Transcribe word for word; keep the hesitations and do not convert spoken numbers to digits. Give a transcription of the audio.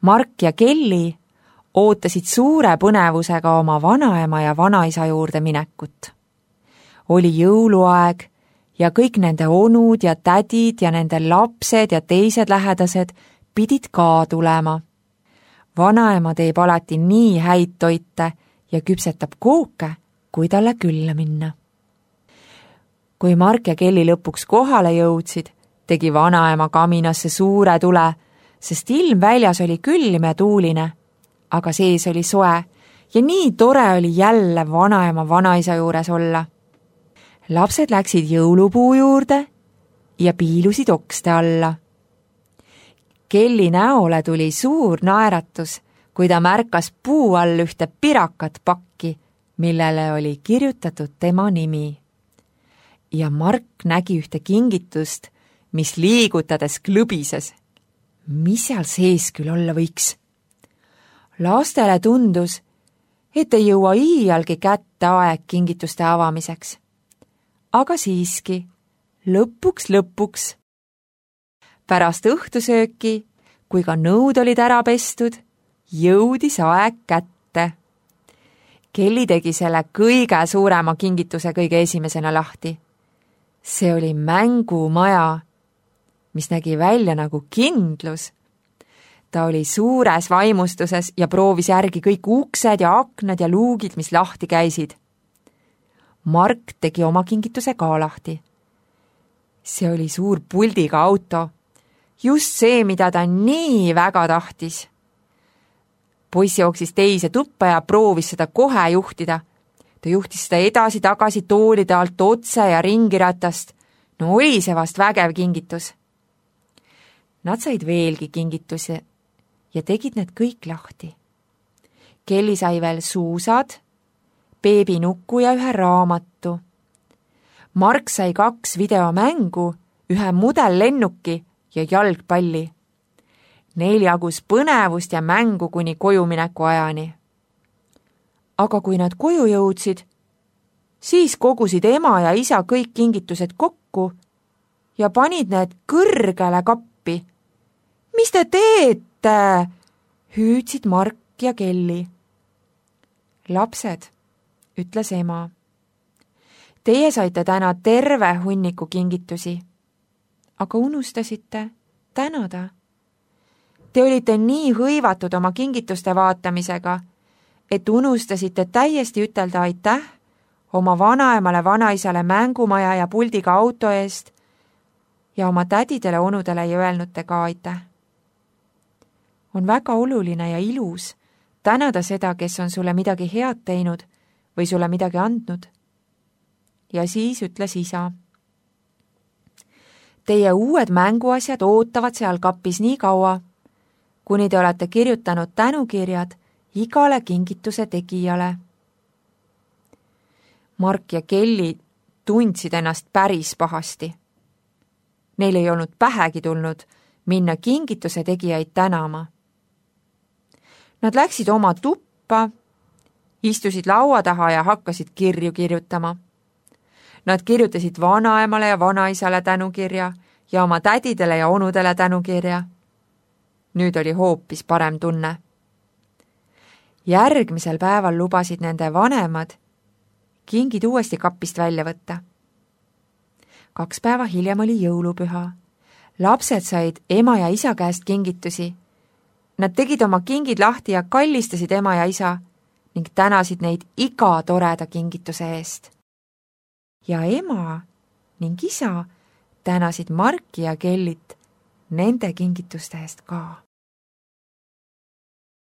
Mark ja Kelly ootasid suure põnevusega oma vanaema ja vanaisa juurde minekut. Oli jõuluaeg ja kõik nende onud ja tädid ja nende lapsed ja teised lähedased pidid ka tulema. Vanaema teeb alati nii häid toite ja küpsetab kooke, kui talle külla minna. Kui Mark ja Kelly lõpuks kohale jõudsid, tegi vanaema kaminasse suure tule, sest ilm väljas oli külm ja tuuline, aga sees oli soe ja nii tore oli jälle vanaema vanaisa juures olla. Lapsed läksid jõulupuu juurde ja piilusid okste alla. Kelly näole tuli suur naeratus, kui ta märkas puu all ühte pirakat pakki, millele oli kirjutatud tema nimi. Ja Mark nägi ühte kingitust, mis liigutades klõbises. Mis seal sees küll olla võiks? Lastele tundus, et ei jõua iialgi kätte aeg kingituste avamiseks. Aga siiski, lõpuks lõpuks. Pärast õhtusööki, kui ka nõud olid ära pestud, jõudis aeg kätte. Kelly tegi selle kõige suurema kingituse kõige esimesena lahti. See oli mängumaja, mis nägi välja nagu kindlus. Ta oli suures vaimustuses ja proovis järgi kõik uksed ja aknad ja luugid, mis lahti käisid. Mark tegi oma kingituse ka lahti. See oli suur puldiga auto. Just see, mida ta nii väga tahtis. Poiss jooksis teise tuppa ja proovis seda kohe juhtida. Ta juhtis seda edasi-tagasi toolide alt otse ja ringiratast. No oli see vast vägev kingitus. Nad said veelgi kingitusi ja tegid need kõik lahti. Kelly sai veel suusad, beebinukku ja ühe raamatu. Mark sai kaks videomängu, ühe mudellennuki ja jalgpalli. Neil jagus põnevust ja mängu kuni kojumineku ajani. Aga kui nad koju jõudsid, siis kogusid ema ja isa kõik kingitused kokku ja panid need kõrgele kappi. Mis te teete? Hüüdsid Mark ja Kelly. Lapsed, ütles ema. Teie saite täna terve hunniku kingitusi, aga unustasite tänada. Te olite nii hõivatud oma kingituste vaatamisega, et unustasite täiesti ütelda aitäh oma vanaemale vanaisale mängumaja ja puldiga auto eest ja oma tädidele onudele ei öelnud te ka aitäh. On väga oluline ja ilus tänada seda, kes on sulle midagi head teinud või sulle midagi andnud. Ja siis ütles isa. Teie uued mänguasjad ootavad seal kapis nii kaua, kuni te olete kirjutanud tänukirjad igale kingituse tegijale. Mark ja Kelly tundsid ennast päris pahasti. Neil ei olnud pähegi tulnud minna kingituse tegijaid tänama. Nad läksid oma tuppa, istusid laua taha ja hakkasid kirju kirjutama. Nad kirjutasid vanaemale ja vanaisale tänukirja ja oma tädidele ja onudele tänukirja. Nüüd oli hoopis parem tunne. Järgmisel päeval lubasid nende vanemad kingid uuesti kapist välja võtta. Kaks päeva hiljem oli jõulupüha. Lapsed said ema ja isa käest kingitusi. Nad tegid oma kingid lahti ja kallistasid ema ja isa ning tänasid neid iga toreda kingituse eest. Ja ema ning isa tänasid Marki ja Kellit nende kingituste eest ka.